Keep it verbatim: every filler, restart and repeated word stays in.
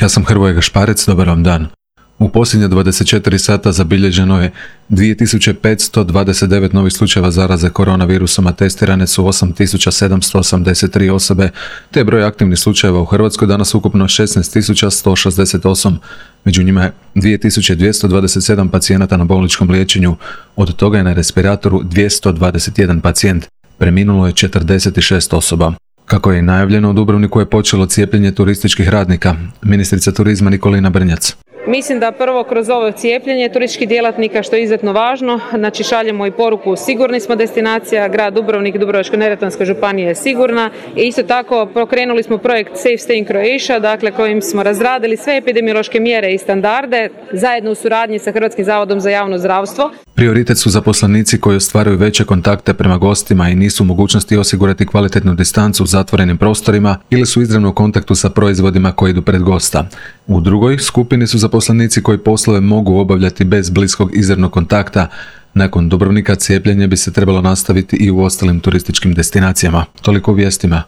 Ja sam Hrvoje Gašparec, dobar vam dan. U posljednje dvadeset četiri sata zabilježeno je dvije tisuće petsto dvadeset devet novih slučajeva zaraze koronavirusom, a testirane su osam tisuća sedamsto osamdeset tri osobe, te je broj aktivnih slučajeva u Hrvatskoj danas ukupno šesnaest tisuća sto šezdeset osam. Među njima je dvije tisuće dvjesto dvadeset sedam pacijenata na bolničkom liječenju, od toga je na respiratoru dvjesto dvadeset jedan pacijent. Preminulo je četrdeset šest osoba. Kako je i najavljeno, u Dubrovniku je počelo cijepljenje turističkih radnika. Ministrica turizma Nikolina Brnjac. Mislim da prvo kroz ovo cijepljenje turističkih djelatnika, što je izuzetno važno, znači šaljemo i poruku sigurni smo destinacija, grad Dubrovnik i Dubrovačko-neretvanska županija je sigurna i isto tako pokrenuli smo projekt Safe Stay in Croatia, dakle kojim smo razradili sve epidemiološke mjere i standarde zajedno u suradnji sa Hrvatskim zavodom za javno zdravstvo. Prioritet su zaposlenici koji ostvaruju veće kontakte prema gostima i nisu u mogućnosti osigurati kvalitetnu distancu u zatvorenim prostorima ili su izravno u kontaktu sa proizvodima koji idu pred gosta. U drugoj skupini su zaposlenici koji poslove mogu obavljati bez bliskog izravnog kontakta. Nakon Dubrovnika cijepljenje bi se trebalo nastaviti i u ostalim turističkim destinacijama. Toliko u vijestima.